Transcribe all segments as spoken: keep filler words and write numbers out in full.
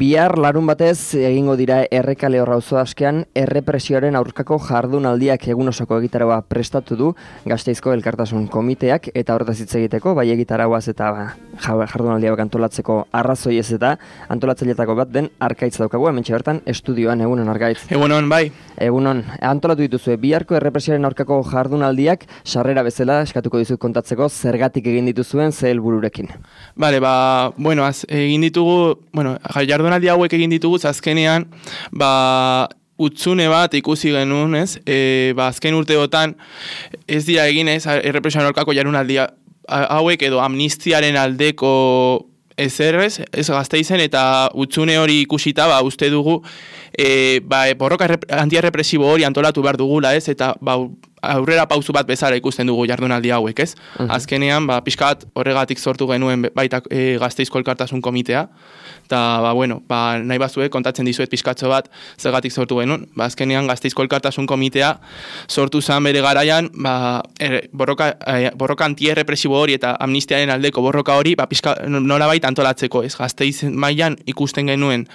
Bihar larun batez egingo dira Errekale auzo askean errepresioaren aurkako jardunaldiak egun osoko egitaraua prestatu du Gasteizko Elkartasun Komiteak, eta horretaz hitz egiteko bai egitarauaz eta ba, jardunaldiak antolatzeko arrazoi ez eta antolatzaileetako bat den Arkaitz daukagu, hementxe bertan estudioan. Egunon, Arkaitz. Egunon, bai. Egunon, antolatu dituzue biharko errepresioaren aurkako jardunaldiak, sarrera bezala eskatuko dizut kontatzeko zergatik egin dituzuen ze helbururekin. Bale, ba, bueno, az, egin ditugu, bueno, jardunaldi hauek egin ditugu, azkenean, ba, utzune bat ikusi genuen, ez? E, ba, azken urteotan ez dira egin, ez, errepresioaren aurkako jardunaldi hauek edo amnistiaren aldeko ezer, ez, ez Gasteizen, eta utzune hori ikusita, ba, uste dugu, e, ba, borroka antierrepresibo hori antolatu behar dugula, ez, eta ba, aurrera pausu bat bezala ikusten dugu jardunaldi hauek, ez? Uh -huh. Azkenean, ba, pixkat horregatik sortu genuen baita e, Gasteizko Elkartasun Komitea, eta, ba, bueno, ba, nahi bazue, kontatzen dizuet pixkatxo bat zergatik sortu genuen. Ba, azkenean, Gasteizko Elkartasun Komitea sortu zen bere garaian, ba, er, borroka, e, borroka antierrepresibo hori eta amnistiaren aldeko borroka hori, ba, pixka, nolabait antolatzeko, ez? Gasteiz mailan ikusten genuen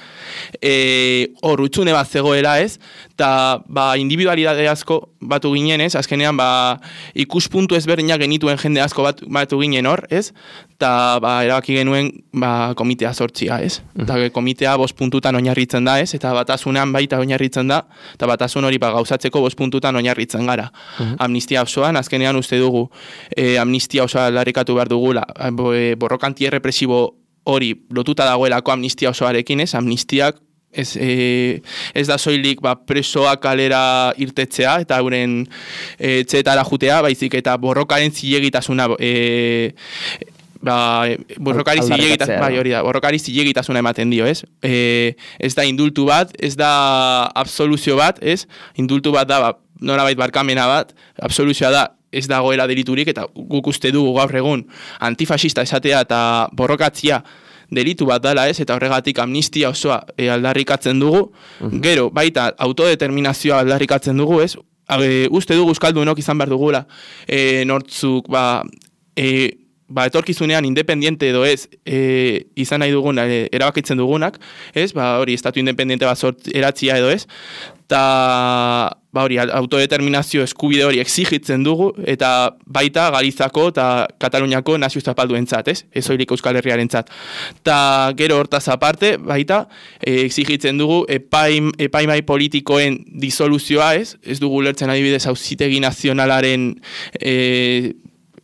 e, hor utzune bat zegoela, ez? Eta, ba, individualidade asko batu ginen, ez? Azkenean, ba, ikuspuntu ezberdinak genituen jende asko bat, batu ginen hor, ez? Eta, ba, erabaki genuen, ba, komitea sortzia, ez? Eta komitea bost puntutan oinarritzen da, ez? Eta batasunean baita oinarritzen da, eta batasun hori ba, gauzatzeko bost puntutan oinarritzen gara. Uh-huh. Amnistia osoan, azkenean uste dugu, e, amnistia osoa aldarrikatu behar dugula, e, borroka antierrepresibo hori lotuta dagoelako amnistia osoarekin, ez? Amnistiak Ez, e, ez da soilik ba, presoak kalera irtetzea eta euren e, etxeetara jutea, baizik eta borrokaren zilegitasuna e, ba, borrokari zilegitasuna bai, hori da, borrokari zilegitasuna ematen dio, ez? E, ez da indultu bat, ez da absoluzio bat, ez? Indultu bat da, ba, nolabait barkamena bat, absoluzioa da, ez dagoela deliturik, eta guk uste dugu gaur egun antifasista esatea eta borrokatzia delitu bat dela, ez, eta horregatik amnistia osoa e, aldarrikatzen dugu, uh-huh. Gero, baita autodeterminazioa aldarrikatzen dugu, ez, e, uste dugu euskaldunok izan behar dugula, e, nortzuk, ba, e, ba, etorkizunean independiente edo ez, e, izan nahi dugun, e, erabakitzen dugunak, ez, ba, hori, estatu independiente bat sort eratzia edo ez, eta, ba, hori, autodeterminazio eskubide hori exigitzen dugu, eta baita Galizako eta Kataluniako nazio zapalduentzat, ez? Ez oirik Euskal Herriarentzat. Ta gero hortaz aparte, baita, e, exigitzen dugu epaim, epaimai politikoen disoluzioa, ez? Ez dugu lertzen adibidez auzitegi nazionalaren e,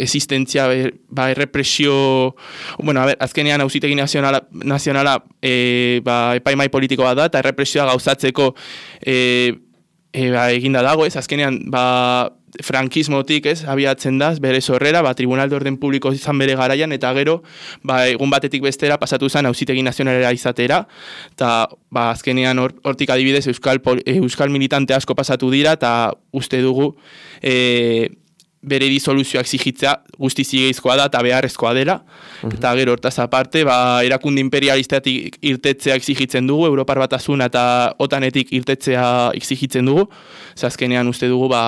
existentzia, ba, errepresio, bueno, a ber, azkenean auzitegi nazionala, nazionala e, ba, epaimai politikoa da, eta errepresioa gauzatzeko e, e, ba, eginda dago, ez, azkenean, ba, frankismotik, ez, abiatzen da, bere sorrera, ba, Tribunal de Orden Publiko izan bere garaian, eta gero, ba, egun batetik bestera pasatu zen auzitegi nazionalera izatera, eta, ba, azkenean hortik or, adibidez euskal, euskal militante asko pasatu dira, eta uste dugu, e, bere disoluzioak exigitzea guzti zigeizkoa da eta beharrezkoa dela. Uh-huh. Eta gero hortaz aparte, ba, erakunde imperialistatik irtetzea exigitzen dugu, Europar Batasuna eta otanetik irtetzea exigitzen dugu. Azkenean uste dugu, ba,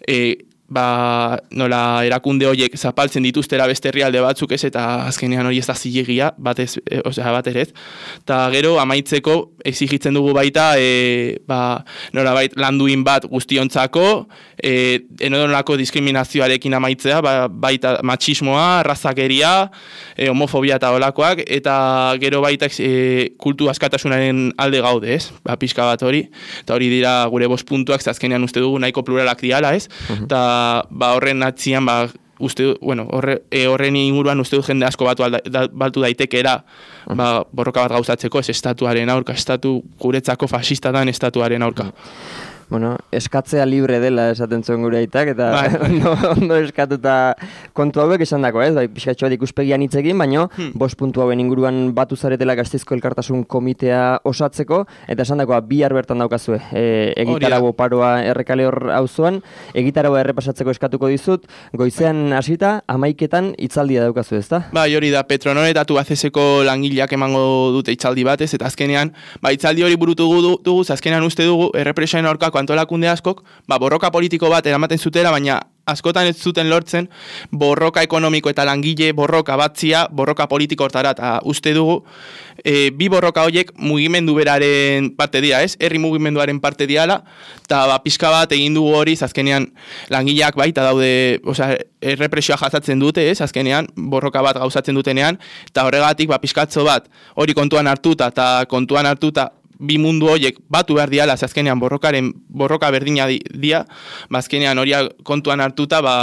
e, ba, nola erakunde horiek zapaltzen dituztera beste herrialde batzuk, ez, eta azkenean hori ez da zilegia, batez, e, osea, bat ere ez. Eta gero, amaitzeko, exigitzen dugu baita, e, ba, nola bait, landuin bat guztiontzako, e, enodonolako diskriminazioarekin amaitzea, ba, baita matxismoa, razakeria, e, homofobia eta olakoak, eta gero baita e, kultu askatasunaren alde gaude, ez? Ba, pixka bat hori, eta hori dira gure bost puntuak, azkenean uste dugu nahiko pluralak diala, ez? Uh-huh. Eta ba, horren atzian, ba, uste, bueno, horre, e, horren inguruan uste du jende asko batu, alda, da, batu daitekera, ba, borroka bat gauzatzeko, ez estatuaren aurka, estatu guretzako fasistatan estatuaren aurka. Bueno, eskatzea libre dela esaten zuen gure aitak, eta bai. ondo, ondo eskatuta kontu hauek esan dako, ez? Bai, pixkatxo bat ikuspegian hitz egin, baina hmm. bost puntu hauen inguruan batu zaretela Gasteizko Elkartasun Komitea osatzeko, eta esan dakoa bihar bertan daukazue, e, egitarago paroa Errekale hor auzoan, egitaragoa errepasatzeko eskatuko dizut, goizean hasita amaiketan hitzaldia daukazu, ezta? Bai, hori da, Petronor eta Tubacexeko langileak emango dute hitzaldi batez, eta azkenean, ba, hitzaldi hori burutu dugu, azkenean uste dugu, errepresioaren aurkako antolakunde askok, ba, borroka politiko bat eramaten zutela, baina askotan ez zuten lortzen borroka ekonomiko eta langile borroka batzia, borroka politiko hortara, eta uste dugu, e, bi borroka horiek mugimendu beraren parte dira, ez? Herri mugimenduaren parte diala, eta ba, pixka bat egin dugu hori, azkenean langileak baita daude, osea, errepresioa jasatzen dute, ez? Azkenean borroka bat gauzatzen dutenean, eta horregatik ba, pixkatzo bat hori kontuan hartuta, eta kontuan hartuta, bi mundu horiek batu behar diala, azkenean borrokaren borroka berdina di, dia, ba, azkenean hori kontuan hartuta, ba,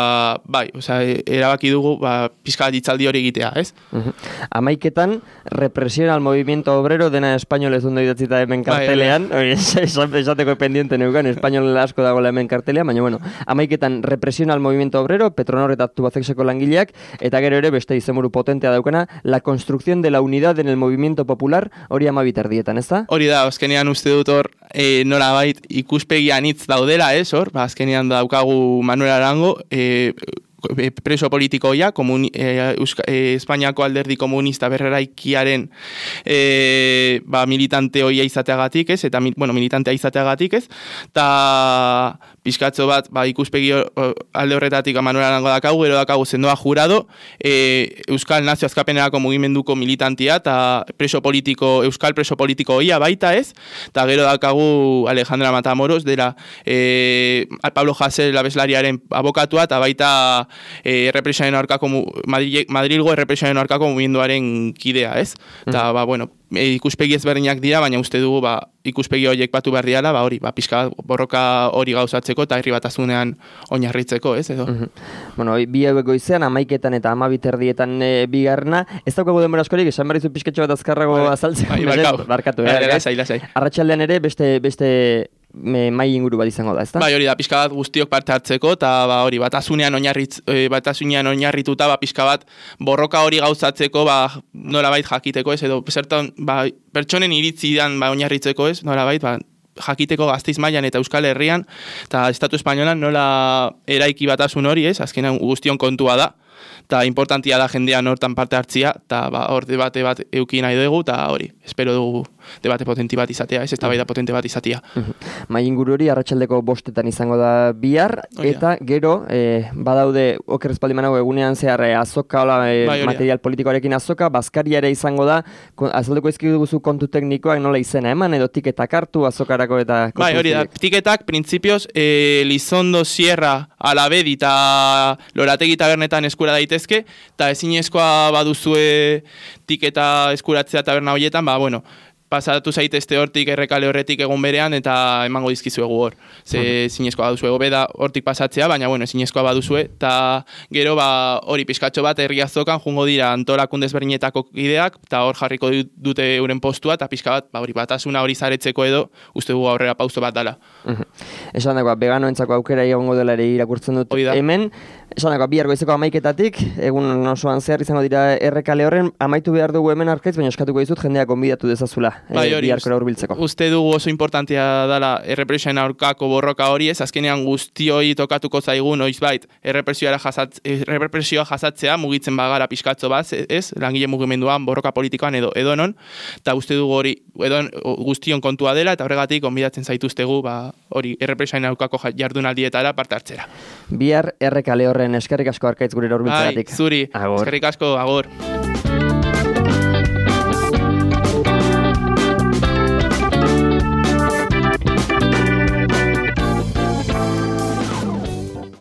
bai, osea, erabaki dugu, ba, pixka ditzaldi hori egitea, ez? Uh-huh. Amaiketan, represión al movimiento obrero, dena espainolez ondo idatzita hemen kartelean, bai, esateko pendiente neukan, espainol asko dagoela hemen kartelean, baina, bueno, amaiketan, represión al movimiento obrero, Petronor eta Tubacexeko langileak, eta gero ere, beste izenburu potentea daukana, la construcción de la unidad en el movimiento popular, hori amabiterdietan, ez da? Hori da, azkenean uste dut hor, e, nolabait ikuspegian hitz daudela, ez hor, ba, azkenean daukagu Manuel Arango, e, preso politikoia, komun, e, Euska, e, Espainiako alderdi komunista berreraikiaren e, ba, militante hoia izateagatik, ez, eta bueno, militantea izateagatik, ez, eta pixkatzo bat, ba, ikuspegi alde horretatik Manuel Arango dakagu, gero dakagu sendoa jurado, e, Euskal Nazio Azkapenerako mugimenduko militantia, eta preso politiko, Euskal preso politiko hoia baita, ez, eta gero dakagu Alejandra Matamoros, dela e, Pablo Hasél abeslariaren abokatua, eta baita e, errepresioaren aurkako Madrid, Madrilgo errepresioaren aurkako mugimenduaren kidea, ez? Eta, mm. ba, bueno, e, ikuspegi ezberdinak dira, baina uste dugu, ba, ikuspegi horiek batu behar diala, ba, hori, ba, pixka borroka hori gauzatzeko eta herri batasunean oinarritzeko, ez, edo? Mm-hmm. Bueno, bi hauek goizean, amaiketan eta amabiterdietan e, bigarna, ez daukagu denbora askorik, esan berrizu pixketxo bat azkarrago vale. azaltzeko. Bai, barkatu. Barkatu, bai, lasai, lasai. Arratsaldean ere, beste, beste mai inguru bat izango da, ezta? Bai, hori da, pixka bat guztiok parte hartzeko, eta ba, hori, batasunean oinarritz, e, batasunean oinarrituta, ba, pixka bat borroka hori gauzatzeko, ba, nolabait jakiteko, ez, edo, zertan, ba, pertsonen iritzidan, ba, oinarritzeko, ez, nolabait, ba, jakiteko Gasteiz mailan eta Euskal Herrian, eta Estatu Espainolan nola eraiki batasun hori, ez, azkenan guztion kontua da, eta importantia da jendean hortan parte hartzia, eta ba, hor debate bat euki nahi dugu, eta hori, espero dugu debate potenti bat izatea, ez, eztabaida potente bat izatea. Mai inguru hori arratsaldeko bostetan izango da bihar, eta gero, eh, badaude, oker espaldi manago egunean zehar eh, azoka, hola, eh, bai, material politikoarekin azoka, Baskaria ere izango da, azaldeko ezkidu guzu kontu teknikoak nola izena eman, edo tiketak hartu azokarako eta... Bai, hori da, tiketak, printzipioz, eh, Lizondo, Sierra, Alabedi eta Lorategi tabernetan eskura daitezke, eta ezinezkoa baduzue tiketa eskuratzea taberna horietan, ba, bueno, pasatu zaitezte hortik errekale horretik egun berean eta emango dizkizuegu hor. Ze zinezkoa baduzue, hobe da hortik pasatzea, baina bueno, zinezkoa baduzue, eta gero ba hori pizkatxo bat herri azokan jungo dira antolakunde ezberdinetako kideak, eta hor jarriko dute euren postua, eta pizka bat, ba hori batasuna hori zaretzeko edo, uste dugu aurrera pauso bat dala. Esan dagoa, veganoentzako aukera egongo dela ere irakurtzen dut hemen, esan dagoa, bihar goizeko amaiketatik, egun osoan zehar izango dira errekale horren, amaitu behar dugu hemen arkaitz, baina eskatuko dizut jendeak gonbidatu dezazula. Bai, hori, uste dugu oso importantia dala errepresioen aurkako borroka hori, ez azkenean guztioi tokatuko zaigu noizbait errepresioa jasatz, errepresioa jasatzea mugitzen bagara pixkatzo bat, ez, langile mugimenduan, borroka politikoan edo edonon, eta uste dugu hori edon guztion kontua dela, eta horregatik onbidatzen zaituztegu, ba, hori errepresioen aurkako jardunaldietara parte hartzera. Bihar errekale horren eskerrik asko arkaitz gure hurbiltzeagatik. Bai, zuri, eskerrik asko, agor.